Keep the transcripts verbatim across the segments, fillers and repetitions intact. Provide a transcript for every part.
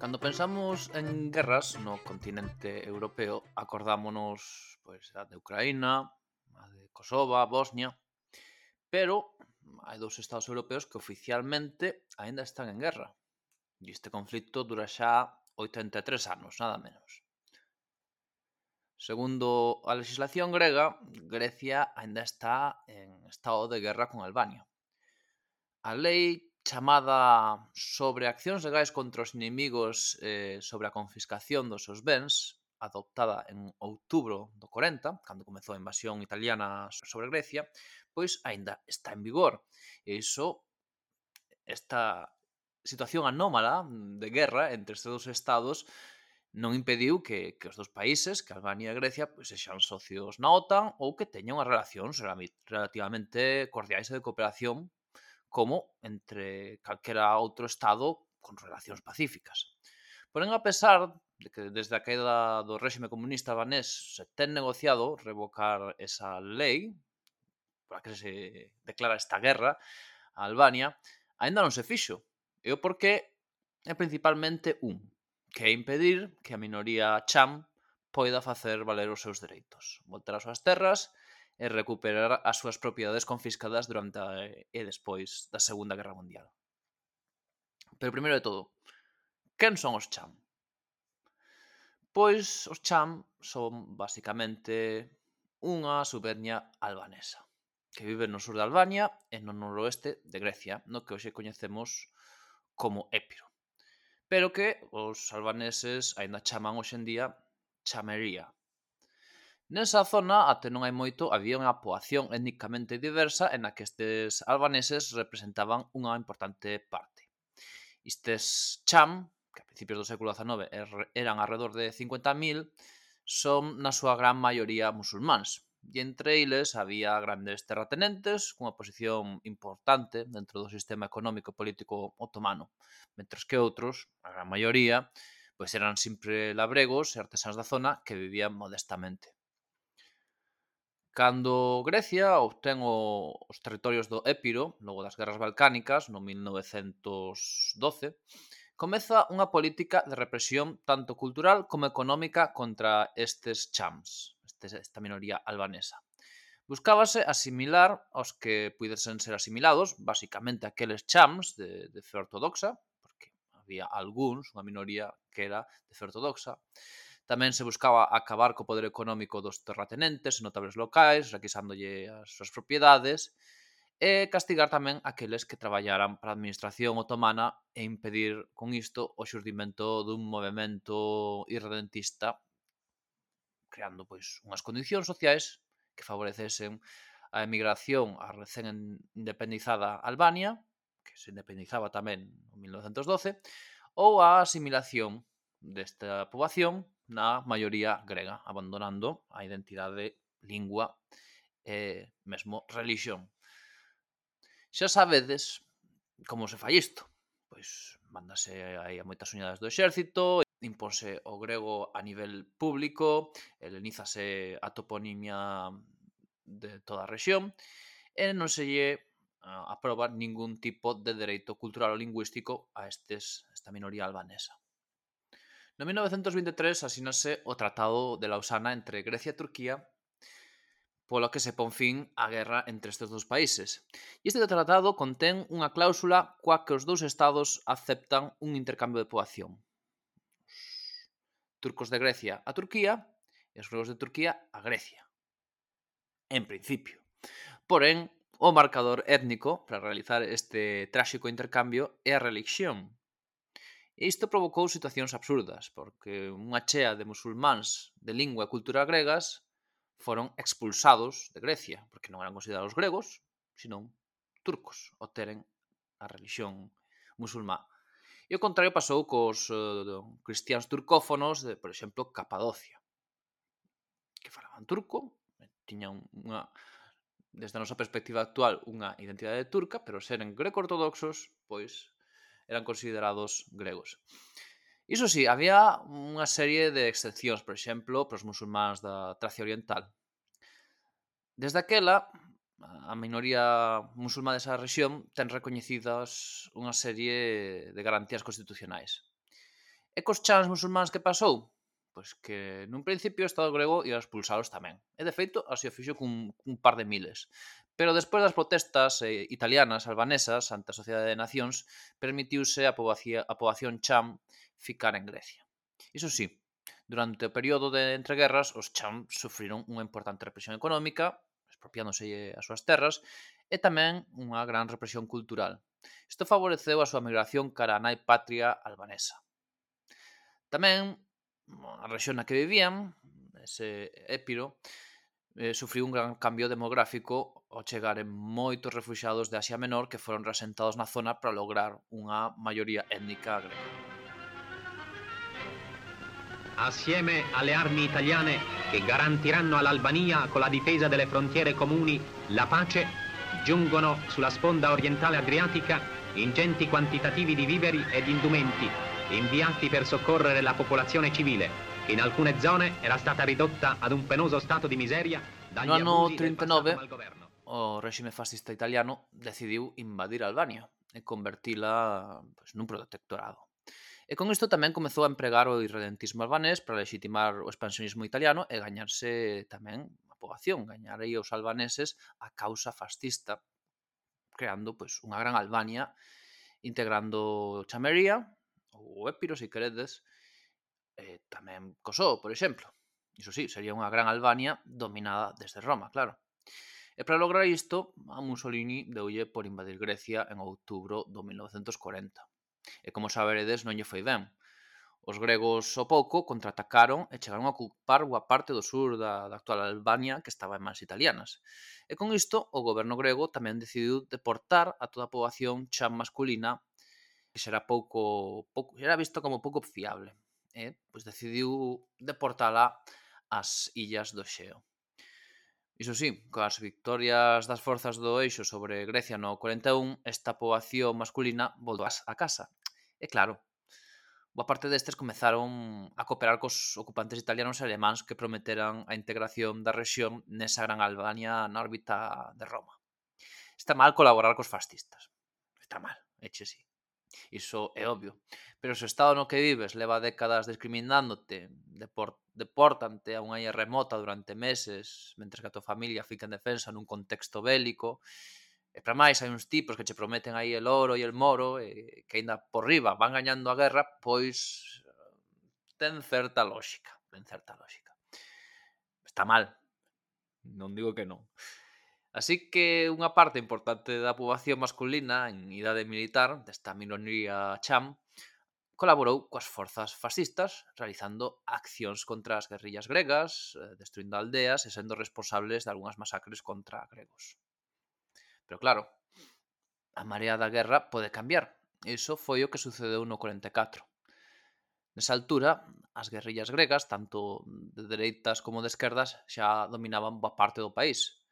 Cando pensamos en guerras no continente europeo, acordámonos pois a de Ucraína, a de Kosovo, Bosnia, pero hai dous estados europeos que oficialmente aínda están en guerra. E este conflito dura xa oitenta e tres anos, nada menos. Segundo a legislación grega, Grecia aínda está en estado de guerra con Albania. A lei chamada sobre accións legais contra os inimigos eh, sobre a confiscación dos seus bens, adoptada en outubro do corenta, cando comezou a invasión italiana sobre Grecia, pois aínda está en vigor. E iso, esta situación anómala de guerra entre estes dous estados non impediu que, que os dous países, que Albania e Grecia, pois sexan socios na OTAN ou que teñan unhas relacións relativamente cordiais e de cooperación como entre calquera outro estado con relacións pacíficas. Porén, a pesar de que desde a caída do réxime comunista albanés se ten negociado revocar esa lei pola que se declara esta guerra a Albania, aínda non se fixo. E o porqué é principalmente un, que é impedir que a minoría cham poida facer valer os seus dereitos, voltar ás súas terras e recuperar as súas propiedades confiscadas durante a, e despois da Segunda Guerra Mundial. Pero primeiro de todo, quen son os cham? Pois os cham son basicamente unha subetnia albanesa que vive no sur de Albania e no noroeste de Grecia, no que hoxe coñecemos como Épiro, pero que os albaneses aínda chaman hoxe en día Chamería. Nesa zona, até non hai moito, había unha poboación étnicamente diversa en a que estes albaneses representaban unha importante parte. Estes cham, que a principios do século dezanove eran alrededor de cincuenta mil, son na súa gran maioría musulmáns. E entre eles había grandes terratenentes cunha posición importante dentro do sistema económico e político otomano, mentres que outros, a gran maioría, pois eran sempre labregos e artesáns da zona que vivían modestamente. Cando Grecia obtén o, os territorios do Épiro, logo das guerras balcánicas, no mil novecentos doce, comeza unha política de represión tanto cultural como económica contra estes chams, estes, esta minoría albanesa. Buscábase asimilar aos que puidesen ser asimilados, basicamente aqueles chams de, de fe ortodoxa, porque había algúns, unha minoría que era de fe ortodoxa. Tamén se buscaba acabar co poder económico dos terratenentes e notables locais, requisándolle as súas propiedades, e castigar tamén aqueles que traballaran para a administración otomana e impedir con isto o xurdimento dun movemento irredentista, creando pois unhas condicións sociais que favorecesen a emigración á recén independizada Albania, que se independizaba tamén en mil novecentos doce, ou a asimilación desta poboación na maioría grega, abandonando a identidade, lingua e mesmo religión. Xa sabedes como se fai isto. Pois mándase aí a moitas uñadas do exército, imponse o grego a nivel público, helenízase a toponimia de toda a rexión e non se lle aproba ningún tipo de dereito cultural ou lingüístico a estes, esta minoría albanesa. No mil novecentos vinte e tres asínase o Tratado de Lausana entre Grecia e Turquía, polo que se pon fin á guerra entre estes dous países. E este tratado contén unha cláusula coa que os dous estados aceptan un intercambio de poboación. Os turcos de Grecia a Turquía e os gregos de Turquía a Grecia. En principio. Porén, o marcador étnico para realizar este tráxico intercambio é a religión. E isto provocou situacións absurdas, porque unha chea de musulmáns de lingua e cultura gregas foron expulsados de Grecia, porque non eran considerados gregos, senón turcos, ao teren a religión musulmá. E o contrario pasou cos uh, cristiáns turcófonos de, por exemplo, Capadocia, que falaban turco, tiñan unha, desde a nosa perspectiva actual, unha identidade turca, pero seren greco-ortodoxos, pois eran considerados gregos. Iso sí, había unha serie de excepcións, por exemplo, para os musulmáns da Tracia Oriental. Desde aquela, a minoría musulmá desa rexión ten recoñecidas unha serie de garantías constitucionais. E cos chans musulmáns que pasou? Pois que nun principio o Estado grego ia expulsalos tamén. E de feito, así o fixo cun, cun par de miles. Pero despois das protestas eh, italianas, albanesas, ante a Sociedade de Nacións, permitiuse a poboación, a poboación cham ficar en Grecia. Iso sí, durante o período de entreguerras, os cham sufriron unha importante represión económica, expropiándose as súas terras, e tamén unha gran represión cultural. Isto favoreceu a súa migración cara a nai patria albanesa. Tamén, a rexión na que vivían, ese Épiro, eh, sufriu un gran cambio demográfico ao chegaren moitos refuxiados de Asia Menor que foron reasentados na zona para lograr unha maioría étnica grega. Assieme alle armi italiane che garantiranno all'Albania con la difesa delle frontiere comuni la pace, giungono sulla sponda orientale adriatica ingenti quantitativi di viveri ed indumenti inviati per soccorrere la popolazione civile, che in alcune zone era stata ridotta ad un penoso stato di miseria dagli abusi del passato malgoverno. O réxime fascista italiano decidiu invadir Albania e convertila pois, nun protectorado. E con isto tamén comezou a empregar o irredentismo albanés para legitimar o expansionismo italiano e gañarse tamén a poboación, gañar aí os albaneses a causa fascista, creando pois, unha gran Albania, integrando Chamería, ou Épiro, se queredes, e tamén Kosovo, por exemplo. Iso sí, sería unha gran Albania dominada desde Roma, claro. E para lograr isto, a Mussolini deulle por invadir Grecia en outubro do mil novecentos corenta. E como saberedes, non lle foi ben. Os gregos ao pouco contraatacaron e chegaron a ocupar boa parte do sur da, da actual Albania que estaba en mans italianas. E con isto, o goberno grego tamén decidiu deportar a toda a poboación cham masculina que xera pouco, pouco xera visto como pouco fiable. E pois decidiu deportala ás illas do Xeo. Iso sí, coas victorias das forzas do Eixo sobre Grecia no corenta e un, esta poboación masculina voltou a casa. E claro, boa parte destes comezaron a cooperar cos ocupantes italianos e alemáns que prometeran a integración da rexión nesa gran Albania na órbita de Roma. Está mal colaborar cos fascistas. Está mal, eche sí. Iso é obvio. Pero se o estado no que vives leva décadas discriminándote, deport, deportante a unha illa remota durante meses, mentres que a tua familia fica en defensa nun contexto bélico, e para máis hai uns tipos que che prometen aí el oro e el moro, e que ainda por riba van gañando a guerra, pois ten certa lógica, ten certa lógica. Está mal, non digo que non. Así que unha parte importante da poboación masculina en idade militar, desta minoría cham, colaborou coas forzas fascistas, realizando accións contra as guerrillas gregas, destruindo aldeas e sendo responsables de algunhas masacres contra gregos. Pero claro, a marea da guerra pode cambiar. Iso foi o que sucedeu no corenta e catro. Nesa altura, as guerrillas gregas, tanto de dereitas como de esquerdas, xa dominaban boa parte do país.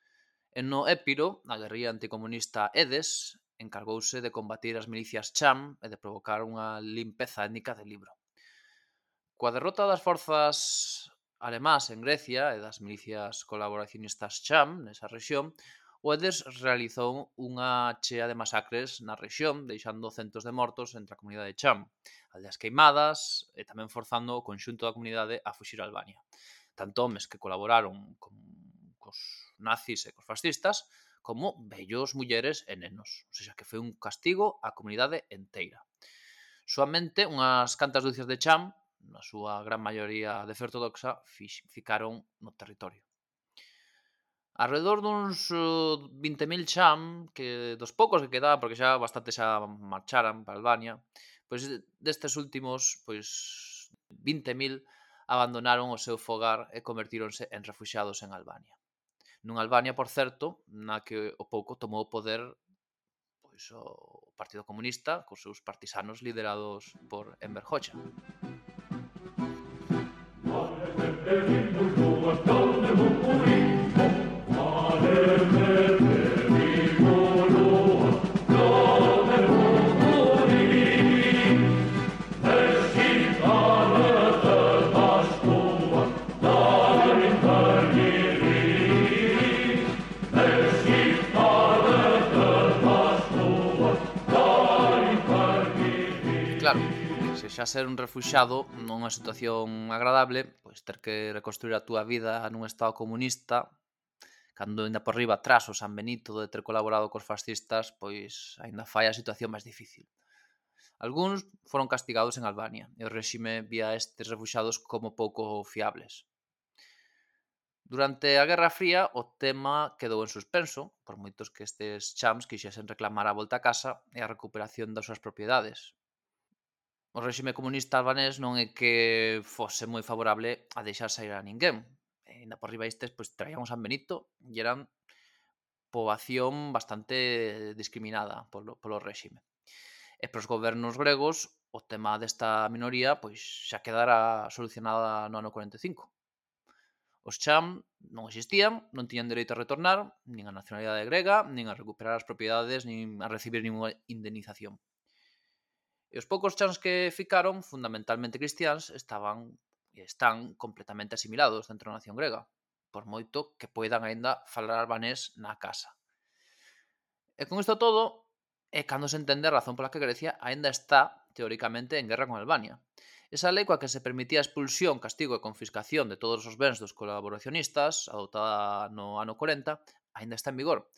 E no Épiro, a guerrilla anticomunista Edes encargouse de combatir as milicias cham e de provocar unha limpeza étnica de libro. Coa derrota das forzas alemás en Grecia e das milicias colaboracionistas cham nesa rexión, o Edes realizou unha chea de masacres na rexión, deixando centos de mortos entre a comunidade cham, aldeas queimadas e tamén forzando o conxunto da comunidade a fuxir a Albania. Tanto homes que colaboraron con cos nazis e cos fascistas, como vellos, mulleres e nenos. O sea, que foi un castigo á comunidade enteira. Soamente unhas cantas ducias de cham, na súa gran maioría de fe ortodoxa, ficaron no territorio. Alrededor duns vinte mil cham, que dos poucos que quedaban, porque xa bastante xa marcharan para Albania, pois destes últimos, pois vinte mil abandonaron o seu fogar e convertíronse en refuxiados en Albania. Nunha Albania, por certo, na que o pouco tomou o poder pois, o Partido Comunista cos seus partisanos liderados por Enver Hoxha. Claro, se xa ser un refuxado non é unha situación agradable, pois ter que reconstruir a túa vida nun estado comunista, cando ainda por riba tras o San Benito de ter colaborado cos fascistas, pois aínda fai a situación máis difícil. Algúns foron castigados en Albania e o réxime vía a estes refuxados como pouco fiables. Durante a Guerra Fría o tema quedou en suspenso, por moitos que estes chams quixesen reclamar a volta a casa e a recuperación das súas propiedades. O réxime comunista albanés non é que fose moi favorable a deixar sair a ninguén. E ainda por riba estes pois, traían o San Benito e eran poboación bastante discriminada polo, polo réxime. E para os gobernos gregos o tema desta minoría pois xa quedara solucionada no ano cuarenta e cinco. Os cham non existían, non tiñan dereito a retornar, nin a nacionalidade grega, nin a recuperar as propiedades, nin a recibir ninguna indemnización. E os poucos chams que ficaron, fundamentalmente cristiáns, estaban e están completamente asimilados dentro da nación grega, por moito que poidan aínda falar albanés na casa. E con isto todo, é cando se entende a razón pola que Grecia aínda está, teóricamente, en guerra con Albania. Esa lei coa que se permitía a expulsión, castigo e confiscación de todos os bens dos colaboracionistas, adoptada no ano corenta, aínda está en vigor.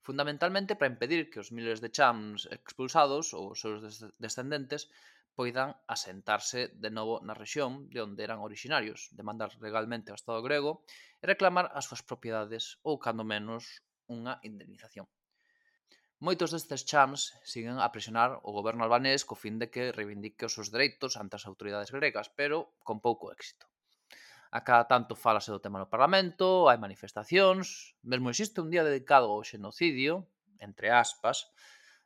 Fundamentalmente para impedir que os miles de chams expulsados ou os seus descendentes poidan asentarse de novo na rexión de onde eran orixinarios, demandar legalmente ao Estado grego e reclamar as súas propiedades ou, cando menos, unha indemnización. Moitos destes chams siguen a presionar o goberno albanés co fin de que reivindique os seus dereitos ante as autoridades gregas, pero con pouco éxito. A cada tanto falase do tema no Parlamento, hai manifestacións, mesmo existe un día dedicado ao xenocidio, entre aspas,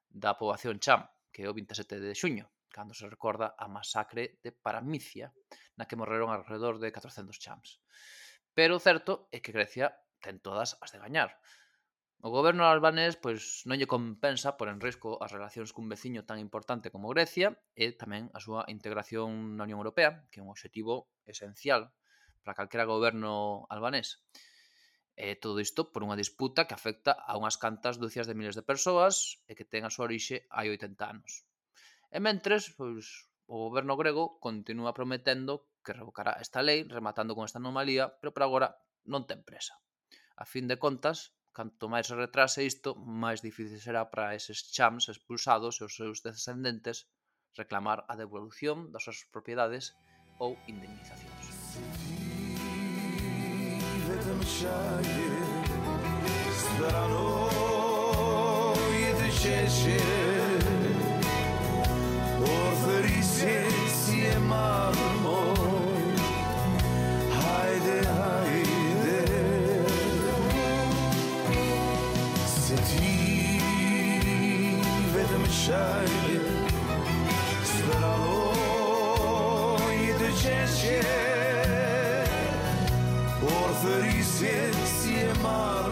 da poboación cham, que é o vinte e sete de xuño, cando se recorda a masacre de Paramícia, na que morreron alrededor de catrocentos chams. Pero o certo é que Grecia ten todas as de gañar. O goberno albanés pois non lle compensa por en risco as relacións cun veciño tan importante como Grecia e tamén a súa integración na Unión Europea, que é un obxectivo esencial para calquera goberno albanés. E todo isto por unha disputa que afecta a unhas cantas dúcias de miles de persoas e que ten a súa orixe hai oitenta anos. E mentres, pois, o goberno grego continúa prometendo que revocará esta lei, rematando con esta anomalía, pero por agora non ten presa. A fin de contas, canto máis se retrase isto, máis difícil será para eses chams expulsados e os seus descendentes reclamar a devolución das súas propiedades ou indemnizacións. Shine, speralo i të qeshje, por thërisje si e marë.